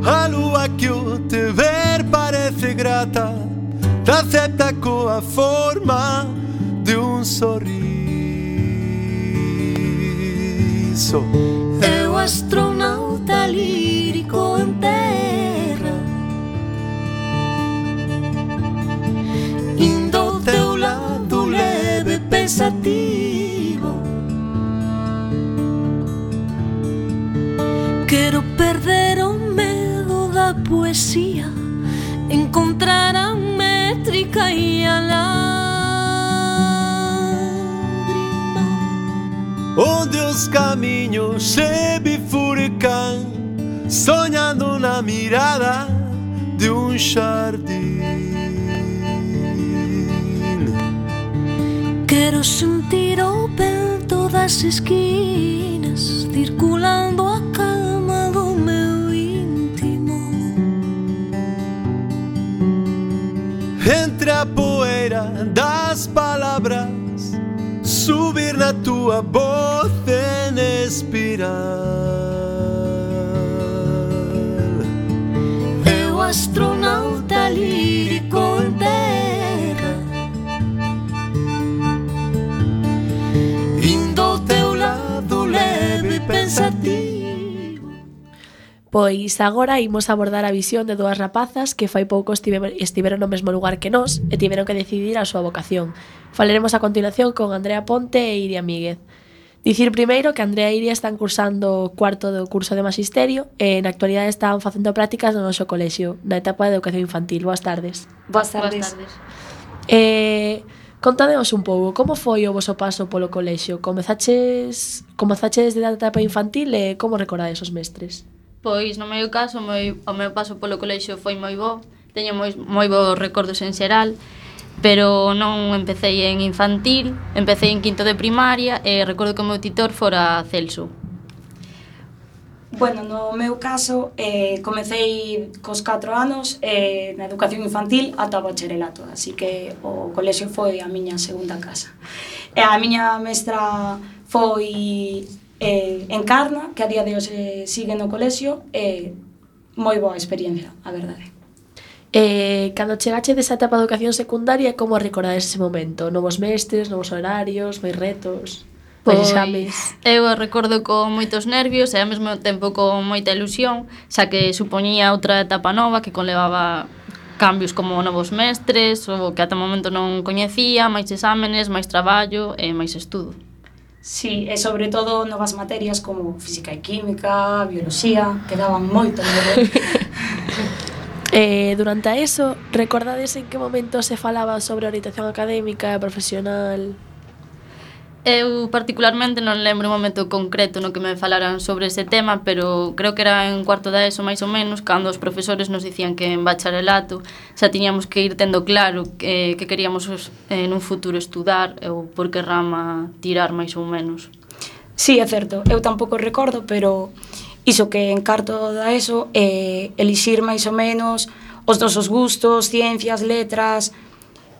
A lua que o te ver parece grata, te acepta coa forma de un sorriso. eu astronauta lírico en terra, Indo ao teu lado leve pensativo. quero perder o medo da poesía, encontrar a métrica e a lágrima, Onde os caminhos se bifurcan, sonhando na mirada de um jardim. Quero sentir o vento das esquinas, circulando a calma do meu íntimo. Entre a poeira das palabras, subir na tua voz en espiral. Eu astronauta lírico en terra, indo ao teu lado leve e pensativo. Pois agora imos abordar a visión de dúas rapazas que fai pouco estiveron no mesmo lugar que nós e tiveron que decidir a súa vocación. Falaremos a continuación con Andrea Ponte e Iria Míguez. Dicir primeiro que Andrea e Iria están cursando o cuarto do curso de Magisterio e na actualidade están facendo prácticas no noso colexio, na etapa de educación infantil. Boas tardes. Boas tardes. Contadeos un pouco, como foi o voso paso polo colexio? Comezaches desde a etapa infantil e como recordades os mestres? Pois no meu caso, o meu paso polo colexio foi moi bo, teño moi bons recordos en xeral, pero non empecé en infantil, empecé en quinto de primaria e recordo que o meu titor fora Celso. Bueno, no meu caso, comecei cos 4 anos na educación infantil ata o bacharelato, así que o colexio foi a miña segunda casa. E a miña mestra foi Encarna, que a día de hoxe sigue no colexio, moi boa experiencia, a verdade. Cando chegache desa etapa de educación secundaria, como recordades ese momento? Novos mestres, novos horarios, máis retos, máis exames? Eu recordo con moitos nervios e ao mesmo tempo con moita ilusión, xa que supoñía outra etapa nova que conlevaba cambios como novos mestres, o que ata o momento non coñecía, máis exámenes, máis traballo e máis estudo. Sí, e sobre todo novas materias como física e química, bioloxía, que daban moito medo. Durante eso, recordades en que momento se falaba sobre orientación académica e profesional? Eu particularmente non lembro un momento concreto no que me falaran sobre ese tema, pero creo que era en cuarto da ESO máis ou menos, cando os profesores nos dicían que en bacharelato xa tiñamos que ir tendo claro que queríamos en un futuro estudar ou por que rama tirar máis ou menos. Sí, é certo, eu tampouco recordo, pero iso que en cuarto da ESO elixir máis ou menos os nosos gustos, ciencias, letras,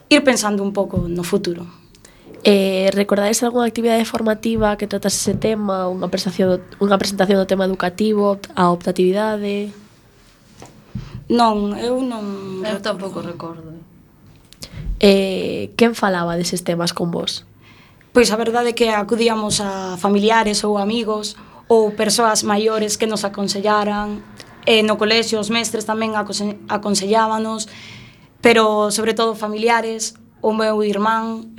ir pensando un pouco no futuro. Recordades algunha actividade formativa que tratase ese tema, unha presentación do tema educativo, a optatividade? Non, eu non... Eu tampouco recordo. Quen falaba deses temas con vos? Pois a verdade é que acudíamos a familiares ou amigos ou persoas maiores que nos aconsellaran. No colexio os mestres tamén aconsellábanos, pero sobre todo familiares, o meu irmán,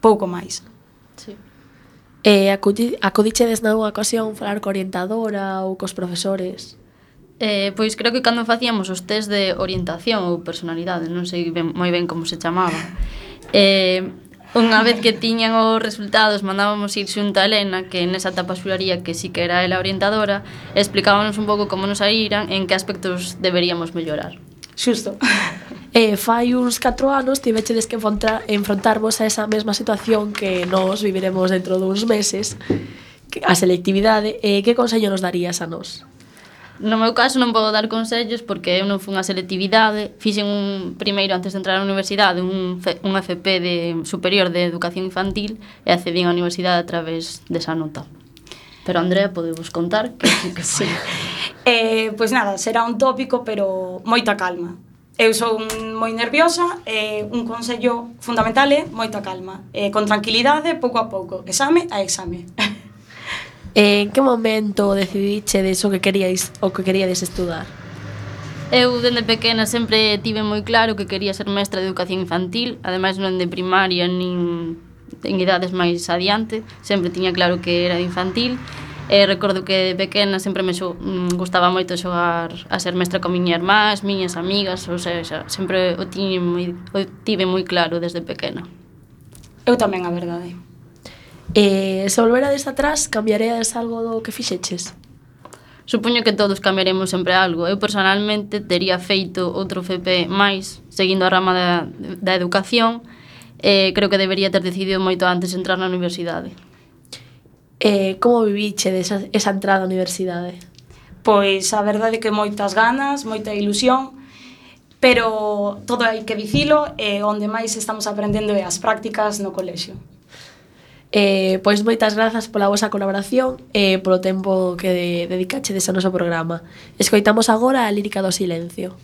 pouco máis. Sí. Acudichedes nalgunha ocasión falar co orientadora ou cos profesores? Pois creo que cando facíamos os test de orientación ou personalidade, non sei moi ben como se chamaba, unha vez que tiñan os resultados mandábamos ir xunto a Elena, que nesa etapa xuraría que sí que era ela orientadora, e explicábamos un pouco como nos saíran, en que aspectos deberíamos mellorar. Xusto. Fai uns 4 anos tivechedes que enfrontarvos a esa mesma situación que nós viviremos dentro duns meses, a selectividade. Que consello nos darías a nós? No meu caso non podo dar consellos porque eu non fui a selectividade, fixen un primeiro antes de entrar á universidade un FP de superior de educación infantil e accedín á universidade a través desa nota. Pero Andrea, podemos contar que sí que foi. Pois nada, será un tópico, pero moita calma. Eu son moi nerviosa e un consello fundamental é moita calma. Con tranquilidade, pouco a pouco, exame a exame. En que momento decidichedes o que queríades estudar? Eu, dende pequena, sempre tive moi claro que quería ser mestra de educación infantil, ademais non de primaria, nin en idades máis adiante, sempre tiña claro que era de infantil. Recordo que de pequena sempre me gustaba moito xogar a ser mestra con miña irmá, as miñas amigas, ou seja, sempre o tive moi claro desde pequena. Eu tamén, a verdade. Se volverades atrás, cambiaríades algo do que fixeches? Supoño que todos cambiaremos sempre algo. Eu personalmente tería feito outro FP máis, seguindo a rama da educación, creo que debería ter decidido moito antes entrar na universidade. Como viviche esa entrada á universidade? Pois a verdade é que moitas ganas, moita ilusión, pero todo hai que dicilo, onde máis estamos aprendendo é as prácticas no colexio. Pois moitas grazas pola vosa colaboración e polo tempo que dedicachedes ao noso programa. Escoitamos agora a lírica do silencio.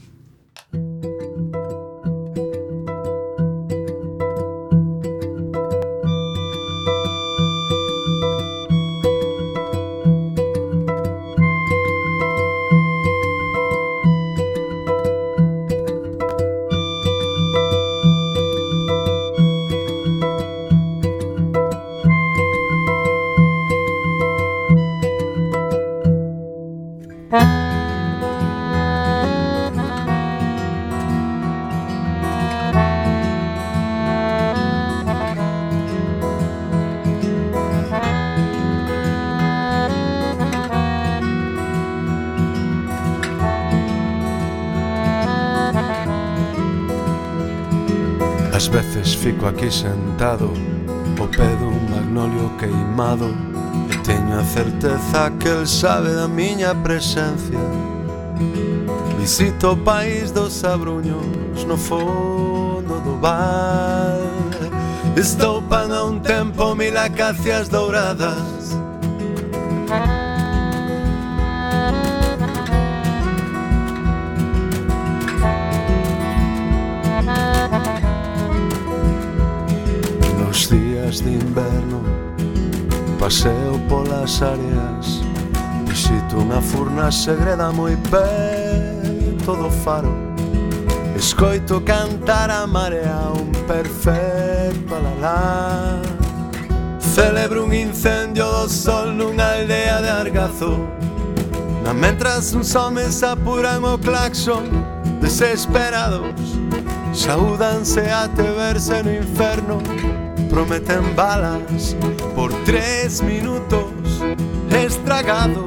Ás veces fico aquí sentado ao pé dun magnolio queimado e teño a certeza que el sabe da miña presencia. Visito o país dos abruños no fondo do val. Estoupan a un tempo mil acacias douradas. Nos días de inverno paseo polas áreas, visito unha furna segreda moi preto do faro. Escoito cantar a marea un perfecto alalá. Celebro un incendio do sol nunha aldea de Argazo, na mentras uns homes apuran o claxon desesperados. Saúdanse até verse no inferno, prometen balas por 3 minutos estragados.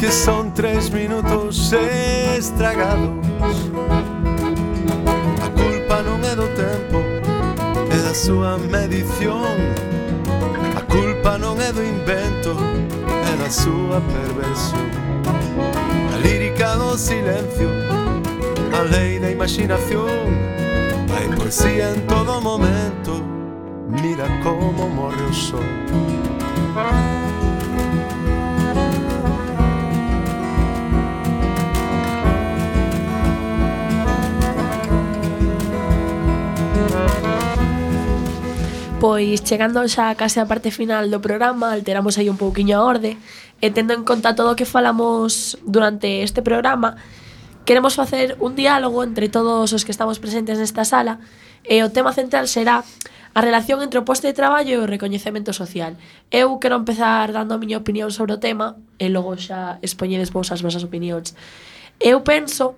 Que son 3 minutos estragados. A culpa non é do tempo, é da súa medición. A culpa non é do invento, é da súa perversión. A lírica do silencio, a lei da imaginación. Hai poesía en todo momento, mira como morre o sol. Pois chegando xa case a parte final do programa, alteramos aí un pouquiño a orde e tendo en conta todo o que falamos durante este programa, queremos facer un diálogo entre todos os que estamos presentes nesta sala e o tema central será a relación entre o posto de traballo e o recoñecemento social. Eu quero empezar dando a miña opinión sobre o tema e logo xa expoñedes vos as vosas opinións. Eu penso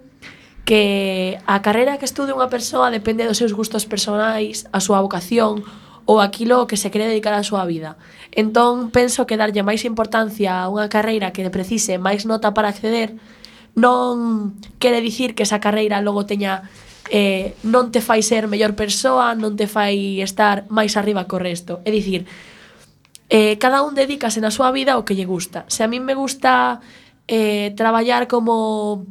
que a carreira que estude unha persoa depende dos seus gustos personais, a súa vocación ou aquilo que se quere dedicar á súa vida. Entón, penso que darlle máis importancia a unha carreira que precise máis nota para acceder non quere dicir que esa carreira logo teña non te fai ser mellor persoa, non te fai estar máis arriba co resto. É dicir, cada un dedícase na súa vida ao que lle gusta. Se a min me gusta traballar como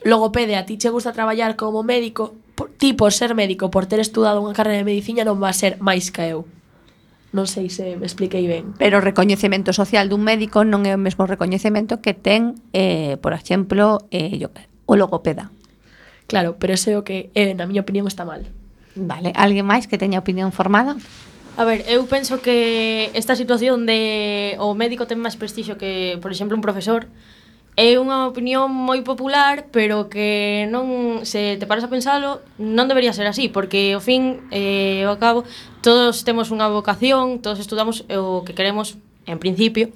logopede, a ti che gusta traballar como médico, ti por ser médico, por ter estudado unha carreira de medicina, non va a ser máis que eu. Non sei se me expliquei ben. Pero o recoñecemento social dun médico non é o mesmo recoñecemento que ten, por exemplo, o logopeda. Claro, pero ese é o que, na miña opinión, está mal. Vale, alguén máis que teña opinión formada? A ver, eu penso que esta situación de o médico ten máis prestixio que, por exemplo, un profesor, é unha opinión moi popular, pero que non, se te paras a pensalo, non debería ser así, porque ao fin e ao cabo todos temos unha vocación, todos estudamos o que queremos en principio.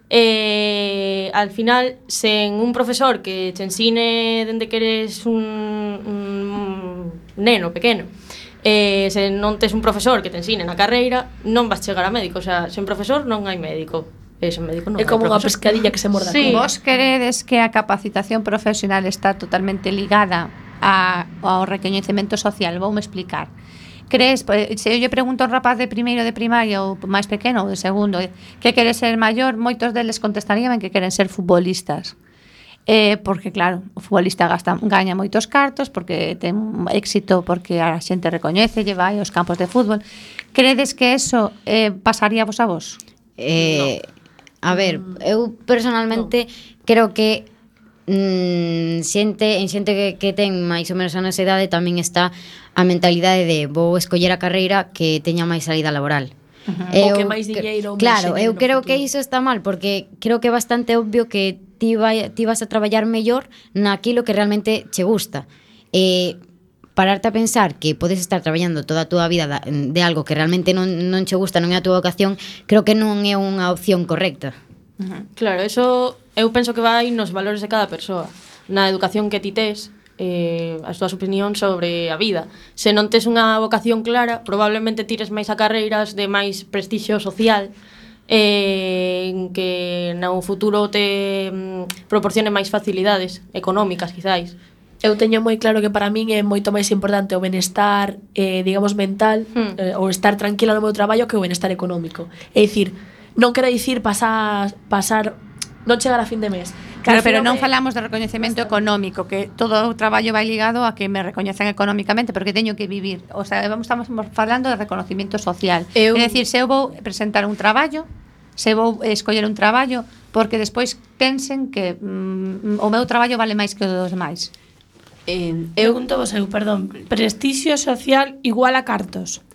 Al final, sen un profesor que te ensine dende que eres un neno pequeno, se non tes un profesor que te ensine na carreira, non vas chegar a médico. O sea, sen profesor non hai médico. Médico non é como unha pescadilla que se morda. Sí. Vos queredes que a capacitación profesional está totalmente ligada ao recoñecemento social. Voume explicar. Crees, se eu lle pregunto a un rapaz de primeiro de primaria ou máis pequeno ou de segundo que quere ser maior, moitos deles contestarían que queren ser futbolistas. Porque claro, o futbolista gaña moitos cartos, porque ten éxito, porque a xente recoñece, vai aos campos de fútbol. Credes que eso pasaría vos a vos? A ver, eu personalmente creo que xente que ten máis ou menos a nosa idade tamén está a mentalidade de vou escoller a carreira que teña máis salida laboral. O que máis dinheiro. Claro, eu creo que iso está mal, porque creo que é bastante obvio que ti vas a traballar mellor naquilo que realmente che gusta. Pararte a pensar que podes estar traballando toda a túa vida de algo que realmente non che gusta, non é a túa vocación, creo que non é unha opción correcta. Claro, eso eu penso que vai nos valores de cada persoa, na educación que ti tes, as túas opinións sobre a vida. Se non tes unha vocación clara, probablemente tires máis a carreiras de máis prestixio social, que no futuro te proporcione máis facilidades económicas, quizáis. Eu teño moi claro que para min é moito máis importante o benestar, digamos, mental, ou estar tranquila no meu traballo que o benestar económico. É dicir, non quero dicir pasar non chegar a fin de mes. Claro, pero non falamos de recoñecemento económico, que todo o traballo vai ligado a que me recoñecen económicamente, porque teño que vivir. O sea, estamos falando de reconocimiento social. É dicir, se eu vou presentar un traballo, se vou escoller un traballo, porque despois pensen que o meu traballo vale máis que o dos demais. Pregunto vos perdón, prestixio social igual a cartos?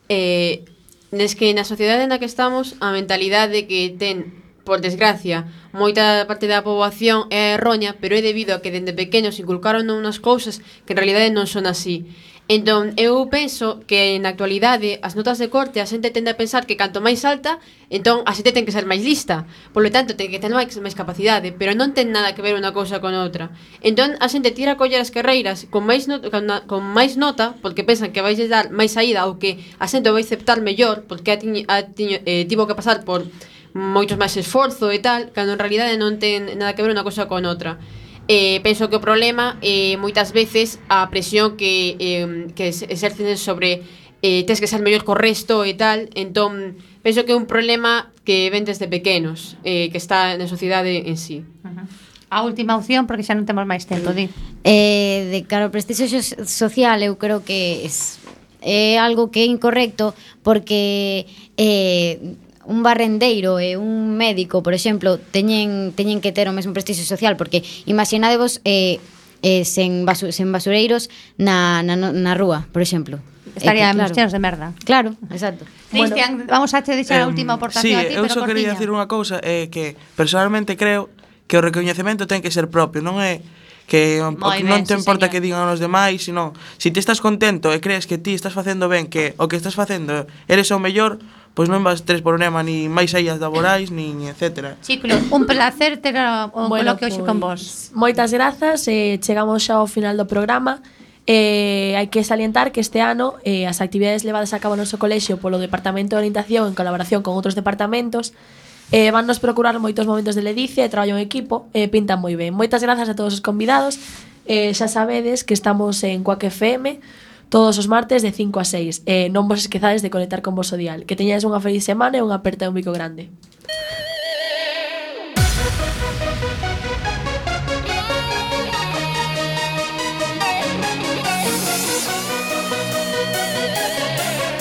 Des que na sociedade na que estamos, a mentalidade que ten, por desgracia, moita parte da poboación é erroña, pero é debido a que dende pequenos inculcaron unhas cousas que en realidade non son así. Entón, eu penso que na actualidade as notas de corte a xente tende a pensar que canto máis alta, entón a xente ten que ser máis lista. Por lo tanto, ten que ter máis capacidade, pero non ten nada que ver unha cousa con outra. Entón, a xente tira a coller as carreiras con máis nota, porque pensan que vais dar máis saída ou que a xente vai aceptar mellor, porque tivo que pasar por moitos máis esforzo e tal, cando en realidade non ten nada que ver unha cousa con outra. Penso que o problema moitas veces a presión que exercen sobre tens que ser mellor co resto e tal. Entón penso que é un problema que ven desde pequenos, que está na sociedade en sí. A última opción, porque xa non temos máis tempo, di. De cara ao prestixio social, eu creo que é algo que é incorrecto, porque un barrendeiro e un médico, por exemplo, teñen que ter o mesmo prestixio social, porque imaginadevos sen basureiros na rúa, por exemplo. Estaríamos chenos de merda. Claro, exacto. Cristian, vamos a te deixar a última aportación a ti, pero eu só quería decir unha cousa, que personalmente creo que o recoñecemento ten que ser propio, non é que non te importa que digan os demais, sino se ti estás contento e crees que ti estás facendo ben, que o que estás facendo eres o mellor, pois non vas ter problema ni máis saídas laborais, nin etcétera. Chicos, un placer ter o coloquio hoxe con vos. Moitas grazas, chegamos xa ao final do programa. Hai que salientar que este ano as actividades levadas a cabo no noso colexio polo Departamento de Orientación en colaboración con outros departamentos van nos procurar moitos momentos de ledicia e traballo en equipo, pintan moi ben. Moitas grazas a todos os convidados. Xa sabedes que estamos en Cuac FM todos os martes de 5 a 6. Non vos esquezades de conectar con vos o dial. Que teñades unha feliz semana e unha aperta de un bico grande.